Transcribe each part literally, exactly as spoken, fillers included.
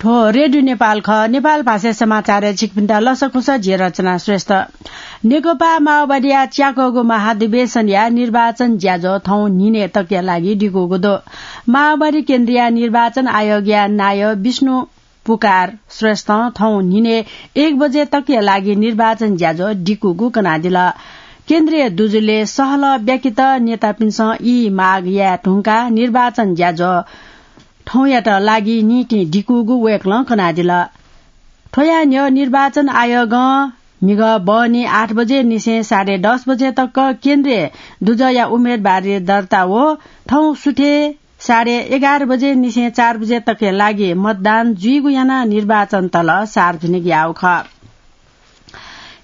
थ्व रेडियो नेपाल खः। नेपाल भाषा समाचारय् छिकपिन्त लसकुस, जि रचना श्रेष्ठ। नेकपा माओवादीया च्याकःगु महाधिवेशनया निर्वाचन ज्याझ्वः थौं न्हिनय् तकया लागि दिकूगु दु। माओवादी केन्द्रीय निर्वाचन आयोगया नायः विष्णु पुकार श्रेष्ठं थौं न्हिनय् एक बजे तकया लागि निर्वाचन ज्याझ्वः दिकूगु कनादिल। केन्द्रीय दुजुले सहलह ब्याकेत नेतापिन्सं ई माग याये धुंकाः निर्वाचन ज्याझ्वः थौंयात लागि निंतिं दिकूगु वय्कलं कनादिल। थ्वया न्ह्यः निर्वाचन आयोगं म्हिगः बहनी आठ बजे निसें साढे दस बजे तक केन्द्रीय दुजःया उम्मेदवारी दर्ता व थौं सुथय् साढे एघार बजे निसें चार बजे तकया लागि मतदान जुइगु यानाः निर्वाचन तल सार्वजनिक याःगु खः।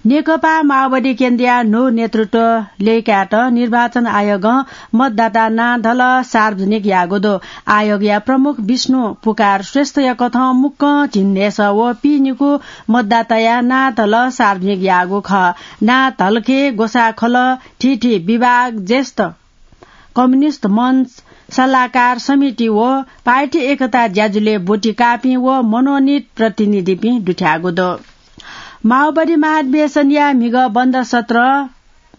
नेकपा माओवादी केन्द्रीय न्हू नेतृत्व ल्यय्कायेत निर्वाचन आयोगं मतदाता नां धलः सार्वजनिक याःगु दु। आयोगया प्रमुख विष्णु पुकार श्रेष्ठया कथं मुक्कं झिंन्हय्‌सः व पीनिकू मतदाताया नां धलः सार्वजनिक याःगु खः। नां धलखे ग्वसाः खलः, थीथी विभाग, ज्येष्ठ कम्युनिस्ट मञ्च, सल्लाहकार समिति व पार्टी एकता ज्याझ्वलय् ब्वति काःपिं व मनोनित प्रतिनिधिपिं दुथ्याःगु दु। माओवादी महाधिवेशनया म्हिगः बन्द सत्र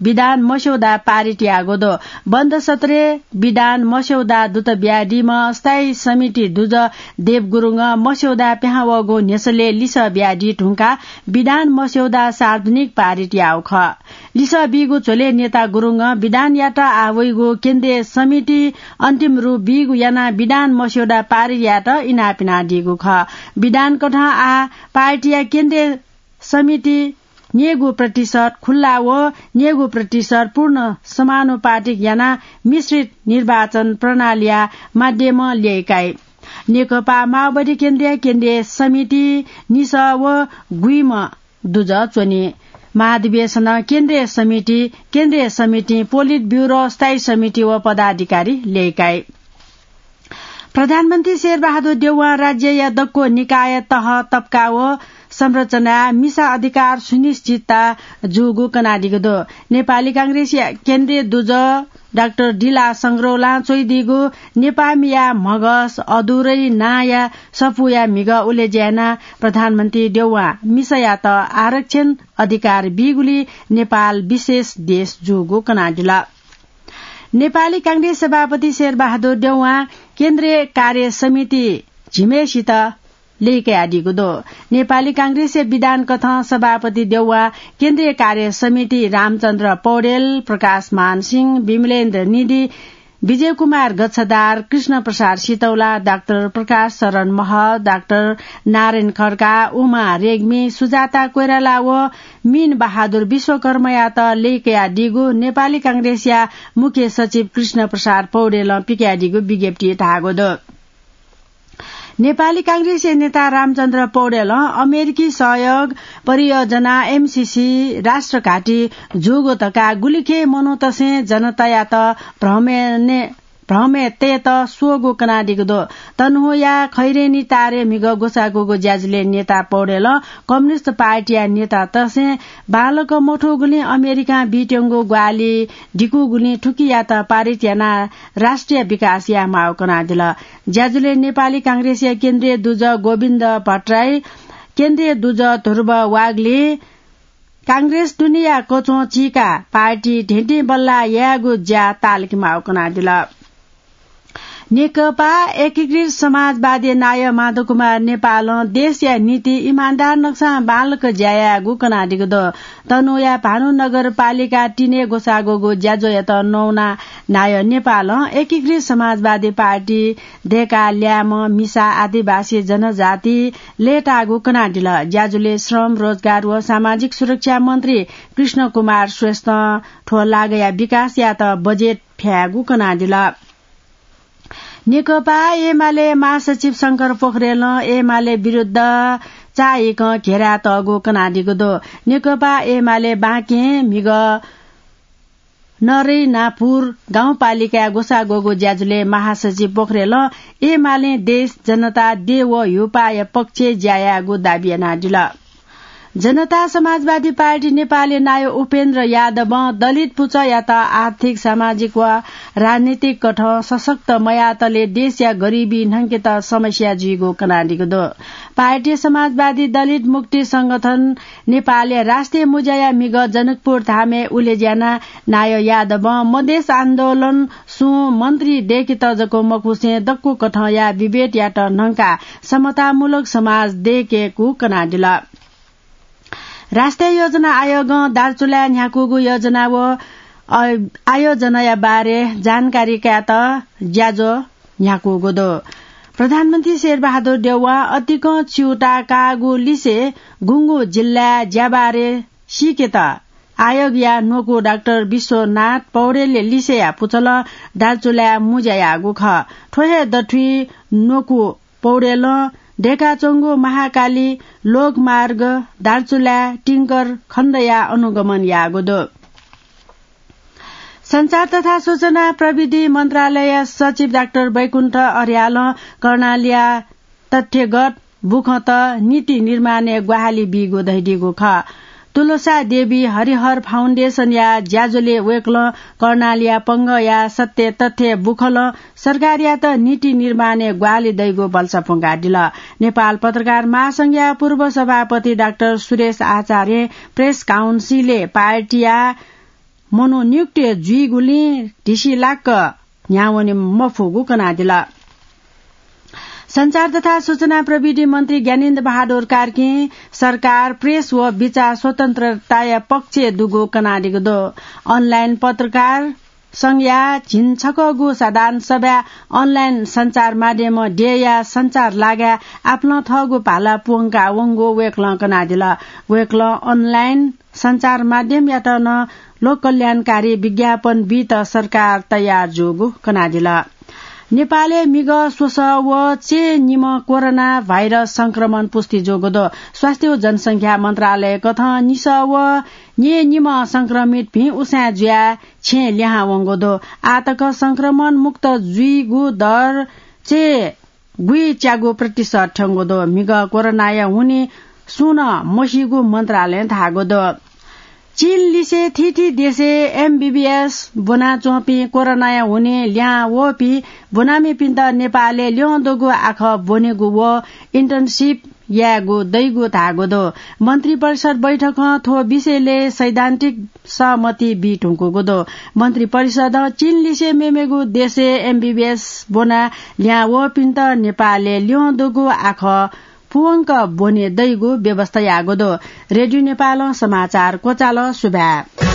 विधान मस्यौदा पारित याःगु दु। बन्द सत्रय् विधान मस्यौदा दुत बियादीम्ह स्थायी समिति दुजः देव गुरुङं मस्यौदा पिहां वःगु न्ह्यसलय् लिसः बियादी धुंकाः विधान मस्यौदा सार्वजनिक पारित याःगु खः। लिसः बीगु झ्वलय् नेता गुरुङं विधानयात आः वइगु केन्द्रीय समिति अन्तिम रूप बीगु यानाः विधान मस्यौदा पारित यायेत इनाप यानादीगु खः। विधान कथं आः पार्टीया केन्द्रीय समिति न्यय्गू प्रतिशत खुल्ला व न्यय्गू प्रतिशत पूर्ण समानुपातिक यानाः मिश्रित निर्वाचन प्रणालीया माध्यमं ल्यय्काइ। नेकपा माओवादी केन्द्रीय, केन्द्रीय समिति निसः व गुइम्ह दुजः च्वनी। महाधिवेशनं केन्द्रीय समिति, केन्द्रीय समितिं पोलिट ब्युरो, स्थायी समिति व पदाधिकारी ल्यय्काइ। प्रधानमन्त्री शेरबहादुर देउवां राज्यया दक्व निकाय, तह, तबका व संरचनाय् मिसा अधिकार सुनिश्चितता जूगु कनादीगु दु। नेपाली कांग्रेसया केन्द्रीय दुजः डाक्टर दिला संग्रौलां च्वइदीगु नेपाःमिया म्हगस अधुरै नांया सफूया म्हिगः उलेज्या यानाः प्रधानमन्त्री देउवां मिसायात आरक्षण अधिकार बीगुलिं नेपाल विशेष देश जूगु कनादिल। नेपाली कांग्रेस सभापति शेरबहादुर देउवां केन्द्रीय कार्य समिति झिम्हेसित ल्यय्कयादीगु दु। नेपाली कांग्रेसया विधान कथं सभापति देउवां केन्द्रीय कार्य समिति रामचन्द्र पौडेल, प्रकाशमान सिंह, विमलेन्द्र निधि, विजयकुमार गच्छदार, कृष्णप्रसाद सितौला, डाक्टर प्रकाश शरण महर्जन, डाक्टर नारायण खड्का, उमा रेग्मी, सुजाता कोइराला व मीन बहादुर विश्वकर्मायात ल्यय्कयादीगु नेपाली कांग्रेसया मुख्य सचिव कृष्णप्रसाद पौडेलं पिकयादीगु विज्ञप्तिइ धाःगु दु। नेपाली कांग्रेसया नेता रामचन्द्र पौडेलं अमेरिकी सहयोग परियोजना एमसीसी राष्ट्रघाती जूगु धकाः गुलिखे मनूतय्सं जनतायात भ्रमय् ने-, भ्रमय् तयेत स्वःगु कनादीगु दु। तनहुँया खैरेनी तारे म्हिगः ग्वसाःगूगु ज्याझ्वलय् नेता पौडेलं कम्युनिस्ट पार्टीया नेतातय्सं बांलाक मथूगुलिं अमेरिकां बीत्यंगु ग्वाहालि दिकूगुलिं थुकियात पारित यानाः राष्ट्रिय विकास यायेमाःगु कनादिल। ज्याझ्वलय् नेपाली कांग्रेसया केन्द्रीय दुजः गोविन्द भट्टराई, केन्द्रीय दुजः ध्रुव वाग्ले, कांग्रेस दुनेया कच्वं चीकाः पार्टी धेंधेंबल्लाः यायेगु ज्या ताःलाकेमाःगु कनादिल। नेकपा एकीकृत समाजवादी नायः माधवकुमार नेपालं देशया निंतिं इमानदार नकसां बांलाक ज्या यायेगु कनादीगु दु। तनहुँया भानु नगरपालिका तीनय् ग्वसाःगूगु ज्याझ्वःयात नवानाः नायः नेपालं एकीकृत समाजवादी पार्टी, दय्काः ल्याय्म्ह, मिसा, आदिवासी जनजाति लय्ताःगु कनादिल। ज्याझ्वलय् श्रम, रोजगार व सामाजिक सुरक्षा मन्त्री कृष्णकुमार श्रेष्ठं थ्व लागाया विकासयात बजेट फ्यायेगु कनादिल। नेकपा एमाले महासचिव शंकर पोखरेलं एमाले विरुद्ध चाःहिकं घेरा तःगु कनादीगु दु। नेकपा एमाले बाँके म्हिगः नरैनापुर गाउँपालिकाय् ग्वसाःगूगु ज्याझ्वलय् महासचिव पोखरेलं एमालें देश, जनता, देय् व ह्युपाःया पक्षय् ज्या यायेगु दाबी यानादिल। जनता समाजवादी पार्टी नेपालया नायः उपेन्द्र यादवं दलित पुचःयात आर्थिक, सामाजिक व राजनीतिक कथं सशक्त मयातले देशया गरिबी न्हंकेत समस्या जुइगु कनादीगु दु। पार्टी समाजवादी दलित मुक्ति संगठन नेपालया राष्ट्रिय मुज्याया म्हिगः जनकपुर धामय् उलेज्यानाः नायः यादवं मधेस आन्दोलन सुं मन्त्री दय्केत जक मखुसें दक्व कथंया विभेदयात न्हंकाः समतामूलक समाज दय्केगु कनादिल। राष्ट्रिय योजना आयोगं दार्चुलाय् न्ह्याकूगु योजना व, अ, आयोजनाया बारे जानकारी कायेत ज्याझ्वः न्ह्याकूगु दु। प्रधानमन्त्री शेरबहादुर देउवां अतिकं च्यूताः काःगु लिसे गुंगू जिल्लाय् ज्याबारे सीकेत आयोगया न्वकू डाक्टर विश्वनाथ पौडेलया लिसेया पुचलं दार्चुलाय् मुज्या याःगु खः। थ्व हे दथुइ न्वकू पौडेलं दय्काच्वंगु महाकाली लोकमार्ग दार्चुलाय् टिंकर खण्डया अनुगमन याःगु दु। सञ्चार तथा सूचना प्रविधि मन्त्रालय सचिव डाक्टर वैकुण्ठ अर्यालं कर्णालीया तथ्यगत बुखँत नीति निर्माणय् ग्वाहालि बीगु धयादीगु खः। तुलसा देवी हरिहर फाउन्डेसनया ज्याझ्वलय् वय्कलं कर्णालीया पंगःया सत्य तथ्य बुखलं सरकारयात नीति निर्माणय् ग्वाहालि दइगु भलसा प्वंकादिल। नेपाल पत्रकार महासंघया पूर्व सभापति डाक्टर सुरेश आचार्यं प्रेस काउन्सिलय् पार्टीया मनोनियुक्त जुइगुलिं ढिसिलाक्क न्ह्यावने मफुगु कनादिल। सञ्चार तथा सूचना प्रविधि मन्त्री ज्ञानेन्द्र बहादुर कार्कीं सरकार प्रेस व बिचाः स्वतन्त्रताया पक्षय् दुगु कनादीगु दु। अनलाइन पत्रकार संघया झिंछकःगु साधारण सभाय् अनलाइन सञ्चार माध्यमं देय्या सञ्चार लागाय् आपालं थःगु भाला प्वंका वंगु वय्कलं कनादिल। वय्कलं अनलाइन सञ्चार माध्यमयात नं लोककल्याणकारी विज्ञापन बीत सरकार तयार जूगु कनादिल। नेपालय् म्हिगः स्वसः व च्यय् निम्ह कोरोना भाइरस संक्रमण पुष्टि जूगु दु। स्वास्थ्य व जनसंख्या मन्त्रालय कथं निसः व न्यय् निम्ह संक्रमित भिं उसाँय् जुयाः छेँय् लिहां वंगु दु। आः तक संक्रमण मुक्त जुइगु दर च्यय् गुइच्यागू प्रतिशत थ्यंगु दु। म्हिगः कोरोनाया हुनिं सुं नं मसीगु मन्त्रालयं धाःगु दु। चीन लिसे थीथी देशय् एमबीबीएस ब्वनाच्वंपिं कोरोनाया हुनिं लिहां वःपिं ब्वनामिपिन्त नेपालय् ल्यं दुगु आखः ब्वनेगु व इन्टर्नसिप यायेगु दइगु धाःगु दु। मन्त्री परिषद बैठकं थ्व विषयलय् सैद्धान्तिक सहमति बी धुंकूगु दु। मन्त्री परिषदं चीन लिसे मेमेगु देशय् एमबीबीएस ब्वनाः लिहां वःपिन्त नेपालय् ल्यं दुगु आखः पूवंक ब्वने दइगु व्यवस्था याःगु दु। रेडियो नेपालं समाचार क्वचाल। सुभाय्।